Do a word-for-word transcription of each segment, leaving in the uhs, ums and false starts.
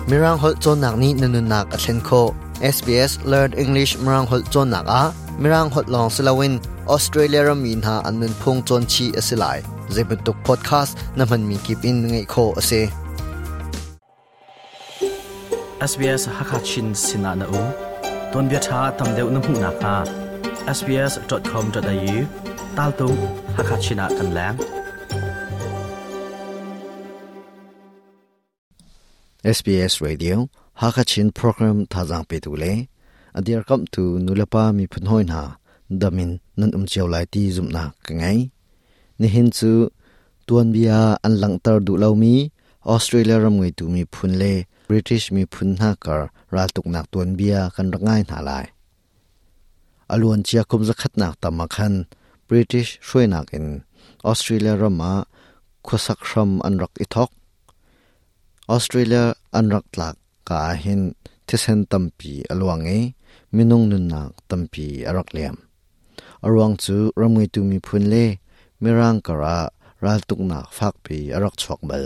Mirang hol chon nak ni nanun nak a thlen kho S B S Learn English Mirang hol chon nak a Mirang hol long silawin Australia ram mi na anun phung chon chi asilai zeibantuk podcast na man mi kip in ngai kho ase. S B S Hakachin Sinana U ton bia tha tam deuh na hmu nak ha S B S dot com dot A U tal tu Hakachina kan lang. S B S Radio Hakachin program thajang pe tu le adir kam tu nulapa mi phun hoi na damin nan um chiaw lai ti zum na ka ngai ni hin chu tuan bia an langtar du lo mi Australia ram ngai tu mi phun le British mi phun na kar ral tuk nak tuan bia kan rangai na lai aluan chia kum zakhat nak tamakhan British hruinak in Australia rama khusak ram an rak ithok Australia an rak tlak ka hin thisen tampi aluang e minung nun nak tampi arak liam arwang chu ramngai tu mi phun le mirang kara ral tuk nak fak pi arak chok bal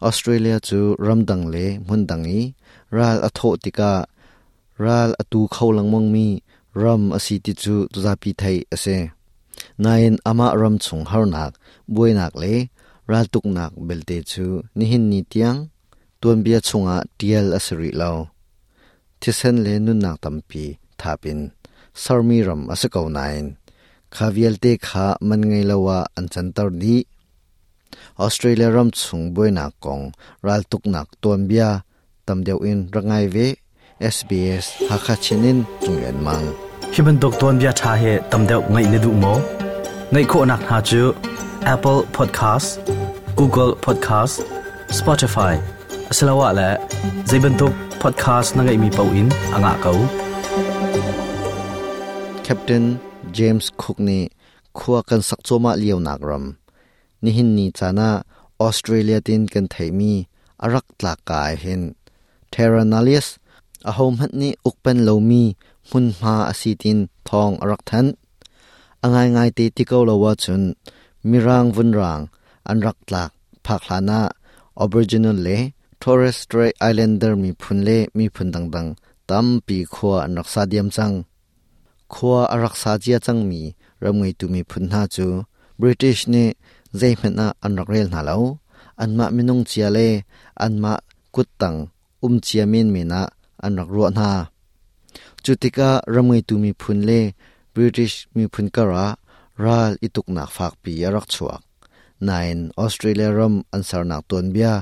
Australia chu ramdang le hmundang i ral atho tika ral atu kholang mong mi ram asi ti chu zapi thai ase nain ama ram chung harnak buinak le ral tuk nak belte chu nihin ni tiang tuan bia chunga tial asiri lo thisen le nun nak tampi thapin sarmi ram asako nain khavial te kha man ngai lawa an chantar di Australia ram chung buinak kong ral tuk nak tuan bia tamdeu in rangai ve S B S Hakachinin chunglen mang. Hi bantuk ton bia tha he tam deuh ngai ne du mo ngai kho nak ha chu Apple Podcast, Google Podcast, Spotify asalawa la zeibantuk podcast na ngai mi pau in anga kau. Captain James Cook ni khua kan sak choma liau nak ram nihin ni chana Australia tin kan thaimi arak tlak kai hin Terra Nullius a hom hat ni ukpen lomi hun ma asitin thong arak than angai ngai te tiko lowa chun mirang vunrang an rak tlak phakhlana Aboriginal le Torres Strait Islander mi phun le mi phun dang dang tam pi khua an rak sa diam chang khua arak sa chia chang mi ramngai tu mi phun na chu British ne zeihmena an rak rel na lo anma minung chia le anma kuttang um chia min mena an rak ro na chutika ramngai tu mi phun le British mi phun kara ral ituk nak phak pi arak chuak nine Australia ram ansar nak ton bia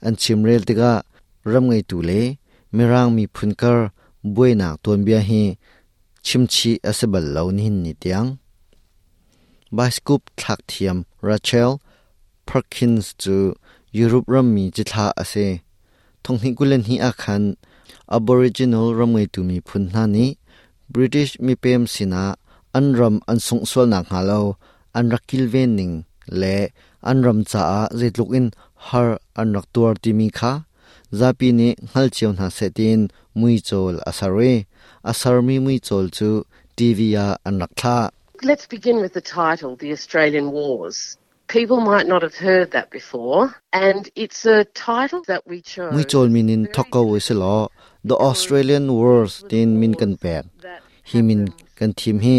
an chimrel tika ramngai tu le mirang mi phun kar buinak ton bia hi chimchi asebal lo ni ni tiang bioscope thak thiam Rachel Perkins chu Europe ram mi chithla ase thonghi kulen hi akhan Aboriginal ramngai tu mi phun na ni British mi pem sina an ram an sung sol nak halo an rakil ven ning le an ram cha a zeitluk in har an rak tuar ti mi kha zapi ni ngal chiu na setin mui chol asare asar mi mui chol chu T V a an rak thla. Let's begin with the title, The Australian Wars. People might not have heard that before, and it's a title that we chose. Mui chol minin thokko wiselo The Australian Wars tin min kan pek hi min kan thim hi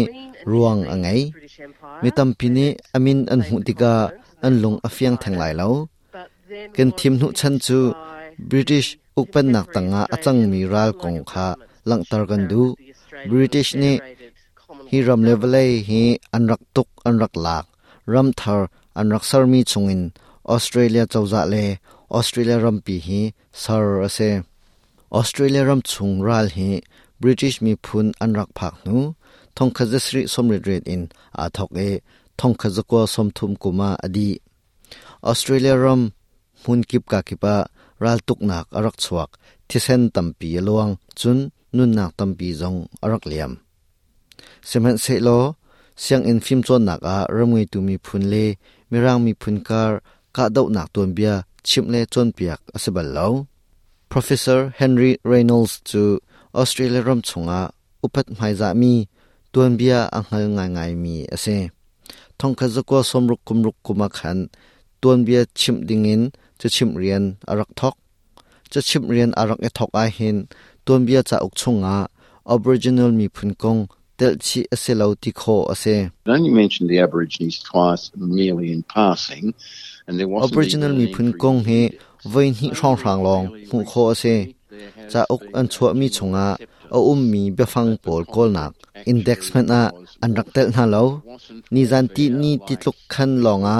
ruang angai mi tampi ni amin an hu tika an lung afiang thanglai lo kan thim nu chan chu British ukpan nak tanga achang mi ral kong kha langtar kan du British ni hi ram level hi an rak tuk an rak lak ram thar an rak sar mi chungin Australia chawza le Australia ram pi hi sar ase Australia ram chung ral hi British mi phun an rak phak nu thong khazasri somrit ret in a thok e thong khazakwa somthum kuma adi Australia ram mun kip ka kipa ral tuk nak arak chuak thisen tampi luang chun nun nak tampi zong arak liam semen se lo siang in phim chon nak a ramngai tu mi phun le mirang mi phun kar ka dau nak ton bia chimle chon piak asebal lo Professor Henry Reynolds chu Australia ram chunga upat hmaiza mi tuan bia anghal ngai ngai mi ase thongkha zakwa somruk kumruk kuma khan tuan bia chim dingin chu chim rian arak thok Cha chim rian arak e thok a hin tuanbia cha uk chunga Aboriginal mi phun kong tel chi ase lo ti kho ase. It only mentioned the Aborigines twice merely in passing, and there wasn't Aboriginal even mi an phun entry kong he in the index. Voi hnih hrang hrang long hmu kho ase. Cha uk an chua mi chunga a um mi biafang pawl kawlnak index man a an rak tel hna lo. Ni zan ti ni ti tluk khan longa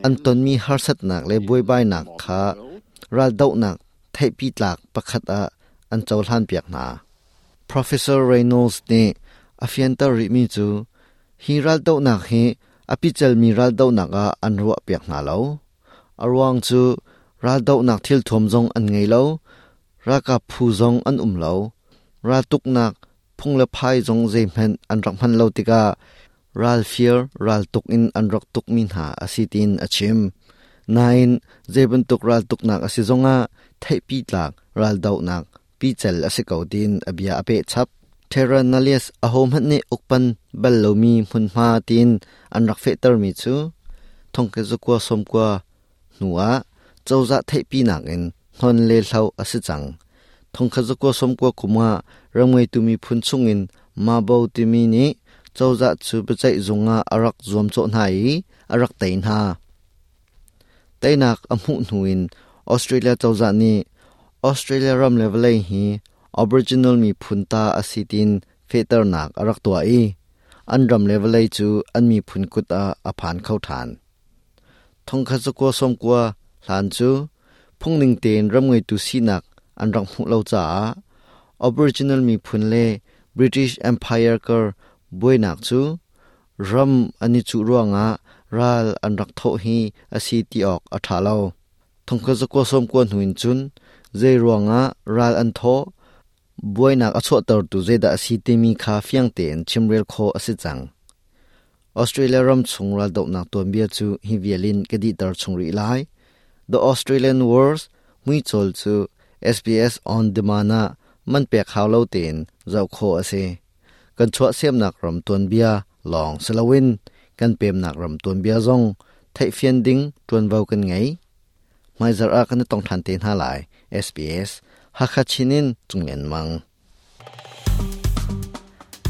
an ton mi harsat nak le buai bai nak kha ral dau nak thai pi tlak pakhat a an chawhlan piak na. Professor Reynolds ne afian tar ri mi chu hi ral dau nak hi api chal mi ral dau nak a an ruwa piak na lo. Arwang chu ral dau nak thil thom zong an ngei lo, ra ka phu zong an um lo, ra tuk nak phung le phai zong zei men an rak man lo tika ral fear ral tuk in an rak tuk min ha asitin achim. Nine zeben tuk ral tuk nak asi zonga thai pi tlak ral dau nak pi chal ase ko din abia ape chap. Terra Nullius a hom han ne ukpan bal lo mi hun ma tin an rak fe tar mi chu thongke zukwa somkwa nuwa chawza thai pi nak in hon le hlau ase chang. Thongkha zukwa somkwa kuma ramngei tumi phun chungin ma bo ti mi ni chawza chu bachai zunga arak zuam cho nai arak tein ha. Tainak amu nuin Australia chawza ni Australia ram level hi Aboriginal mi phunta asitin fetar nak arak tua i an ram level chu an mi phun kut a aphan khau than. Thongkha chukwa somkwa hlan chu phungning ten ramngei tu si nak an rang hmu lo cha Aboriginal mi phun le British Empire kar boi nak chu ram ani chu ruanga ral an rak tho hi asi ti ok a tha lo. Thongkha chukwa somkwa hnuin chun zai ruanga ral an tho boi nak a chho tar tu zeda asi te mi kha fiang ten chimrel kho asi chang. Australia ram chung ral dok nak ton bia chu hi vialin ke di tar chung ri lai. The Australian Wars mui chol chu S B S on demand a man pek haw lo ten zau kho ase. Kan chwa sem nak ram ton bia long selawin kan pem nak ram ton bia zong thai fian ding tuan vau kan ngai mai zar a kan tong than te na lai. S B S Hakachinin chunglen mang.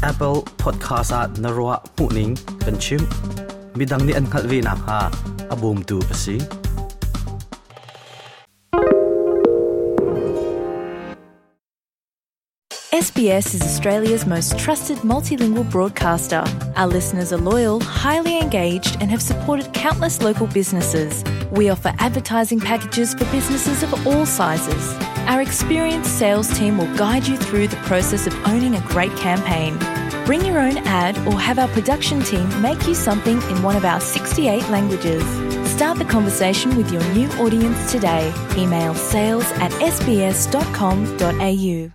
Apple Podcast at narwa puning kanchim midang ni an khalvi na ha abum tu asi. S B S is Australia's most trusted multilingual broadcaster. Our listeners are loyal, highly engaged, and have supported countless local businesses. We offer advertising packages for businesses of all sizes. Our experienced sales team will guide you through the process of owning a great campaign. Bring your own ad or have our production team make you something in one of our sixty-eight languages. Start the conversation with your new audience today. Email sales at s b s dot com dot a u.